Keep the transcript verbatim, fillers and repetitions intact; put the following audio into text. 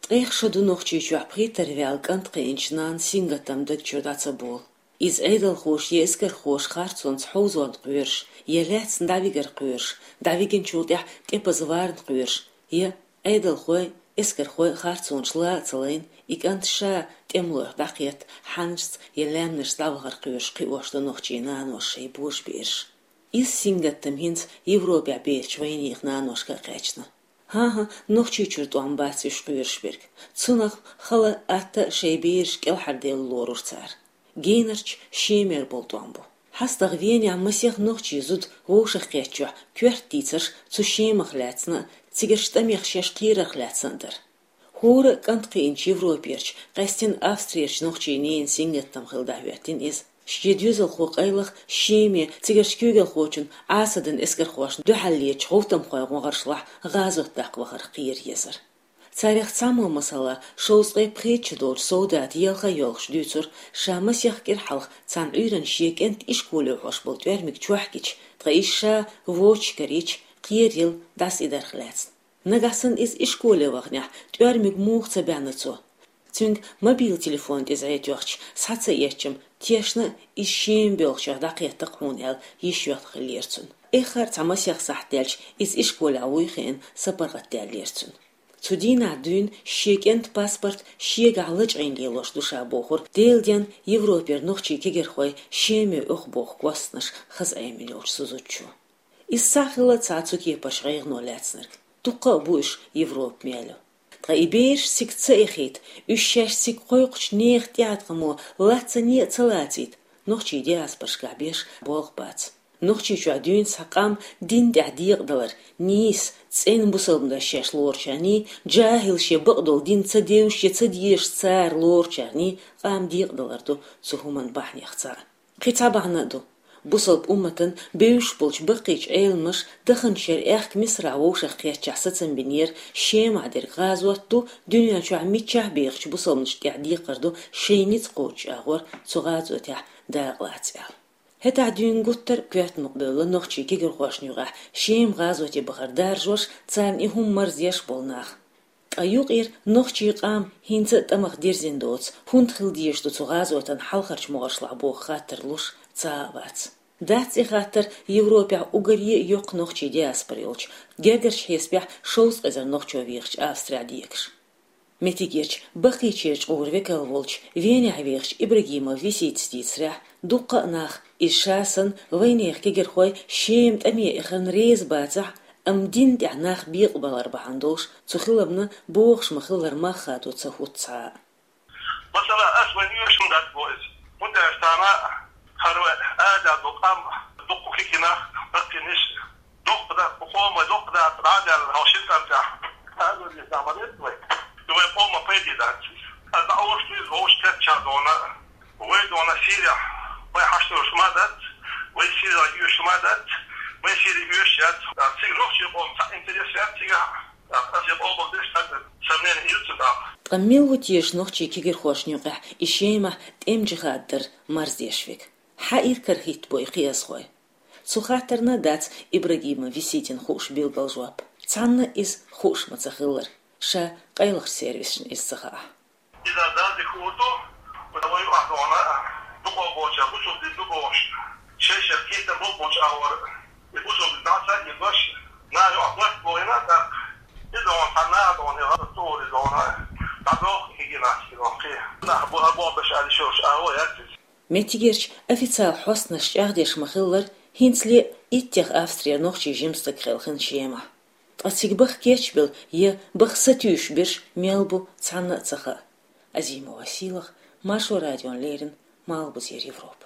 Ткъех шо ду Нохчийчохь пхийттара ваьлла кӀант кхиъначу нанна сингаттам даг чуьра дӀа ца болу. Иза Ӏедалхоша я эскархоша харцонца хьовзонна кхоьруш, я лаьцна дӀавигар кхоьруш, дӀавигначул тӀаьхьа тӀепаза варна кхоьруш, я Ӏедалхой, эскархой харцонаш ла а ца лайна, и кӀант ша тӀемалойх дӀакхетта, хьаннашца я лаьмнашца дӀавахар кхоьруш кхиош ду нохчийн наноша шайн божабераш. Иза сингаттам хӀинца Европехь бехачу вайнехан наношка а кхаьчна. ХӀан-хӀа, Нохчийчуьра тӀом бац уьш кхоьруш берг. Цунах хала, атта а шайн бераш кӀелхьарделла лорура цара. Генарчу Шемера болу тӀом бу. ХьастагӀа Венехь масех нохчийн зуда вовшахкхеттачохь коьрта дийцарш цу Шемах лаьцна а, цигарчу тӀамех шаьш кхерарх лаьцна а дара. ХӀора а кӀант кхиъначу Европерчу, къаьстина Австрерчу нохчийн ненан сингаттам хилла дӀахӀоьттина иза. Шен доьзалхо къайлаха Шеме цигарчу куьйгалхочун Ӏасадан эскархошна дуьхьал летачу гӀовтамхойн гӀоьршлахь гӀазот даккха вахарх кхера езара. Царех цхьаммо, масала, шовзткъе пхийтта шо долчу солдата елха а йоьлхуш дуьйцура, ша масех кӀира хьалха цхьана Ӏуьйранна шен кӀентан ишколе хьош болу тӀоьрмиг чохь гича, ткъа иза ша вочу карийча, кхераелла дӀасаидарх лаьцна. Нагахь санна иза ишколе ваханехь, тӀоьрмиг муха ца баьхьна цо? Цуьнга мобил телефон тӀе зӀе тоьхча, схьа ца эцча-м, тешна а иза Шема боьлхучех дӀакхетта-кх хьуна аьлла, йиш йоьлхуш хиллера цунна. Эххар а цхьа масех сахьт даьлча, иза ишколехь вуй хиъна, сапаргӀатдаьллера цунна. Цу дийнахь дуьйна шен кӀентан паспорт шегахь лачкъийна лелош ду ша бохура Делан денна Европера нохчийн кегийрхой Шеме оьху боху костнаш хаза Ӏемина йолчу цу зудчо. Иза схьа а хилла цхьа цу кепарчу гӀайгӀано лаьцнарг. Дуккха а бу уьш Европа мел ю. Ткъа и бераш цига ца эхийта, уьш шаьш цига кхойкхучу нехан тӀеӀаткъамо лацане а ца лацийта, нохчийн диаспорашкахь беш болх бац. Нохчийчохь дуьйна цхьа къам дин тӀехь декъадалар, нийса, цӀена бусалба дас шаьш лоручарний, жахӀилша бакъдолу дин ца девзаш я ца дезаш цара лоручарний къам декъадалар ду цу хӀуманан бахьанех цхьаъ. Кхин цхьа бахьана а ду. Бусалба умматан бевзаш болчу баккхийчу Ӏеламнаша даханчу шеран аьхка Мисрахь вовшахкхеттачохь сацам бинера, Шемахь дерг гӀазот ду, дуьнен чохь миччахь а бехачу бусалбанашна тӀехь декхар ду шайн ницкъ кхочучу агӀор цу гӀазотехь дакъалаца аьлла. ХӀетахь дуьйна гуттар а коьрта мукъабевлла нохчийн кегийрхошна юкъахь Шема гӀазоте бахар даржош, царна и хӀума марздеш болу нах. Ткъа юкъара нохчийн къам хӀинца а тӀамах дирзина доцу, хӀунда хила дезаш ду цу гӀазотан хьалхарчу могӀаршлахь боху хаттар луш цхьа а вац. Дац и хаттар Европехь уггаре а йоккха нохчийн диаспора йолчу, гергарчу хьесапехь шовзткъа эзар нохчо вехачу Австрехь декаш. Меттигерчу баккхийчеран чкъуран векал волчу Венехь вехачу Ибрагимов Виситас дийцарехь, дуккха а нах, иза ша санна, вайнехан кегийрхой Шема тӀаме эхарна реза бацахь, амма дин тӀехь нах бекъабалар бахьана долуш, цу хиламна бохуш ма-хиллара мах хадо ца хӀутту цхьа а. Масала, ас вайн оьшуш ма дац бо иза. ХӀунда аьлча тахана хӀара вай ада долу къам дуккха кхин-кхин нах баккхийнаш, дуккха да, кху къоман дуккха да, дӀа а даьлла, хьо шина тӀам тӀехь. Аса вай деза ма деза вай. И вайн къоман пайде дац иза. Аса дӀаоьшу иза вовшахкхетча дона, вай дона Сирехь, вай хьашт долуш ма дац, вай Сирехь оьшуш ма дац, вай Сири оьшуш яц. Цига нохчийн къоман цхьа интерес яц цигахь. Аса и къоман деш цхьаьна сомнение йоцу нах. Ткъа мила ву теша нохчийн кегийрхошна юкъахь и Шемахь тӀеман жихӀад дар марздеш верг? Хьан иракарахӀитта бу и кхиазхой? Цу хаттарна дац Ибрагимов Виситина хууш билггал жоп. Цхьанна иза хууш ма ца хиллара, ша къайлахчу сервисашна иза ца хаахь. Иза Дала дика хӀума ду, вай юкъахь дона, дукха болчара бусалба дин ду бохуш, шай-шайх кхетам болчу агӀор, и бусалба дин дӀа ца а йигош, наха юкъахь барт бохийна а тӀаккха, и дона, цхьа наха дона, и гӀазот тӀе а дона, дӀадоху и генацид дона кхин. Нах бу-, а боху беш аьлла йиш йолуш агӀо яц иза. Меттигерчу официал хьостанаша чӀагӀдеш ма-хиллара, хӀинцале а иттех Австрера нохчийн жима стаг хелхина Шемахь. Ткъа цига баха кечбелла я баха сатуьйсуш берш мел бу, цхьанна а ца хаьа. Азимова Сийлаха, Маршо радиона леррина, Малхбузера Европа.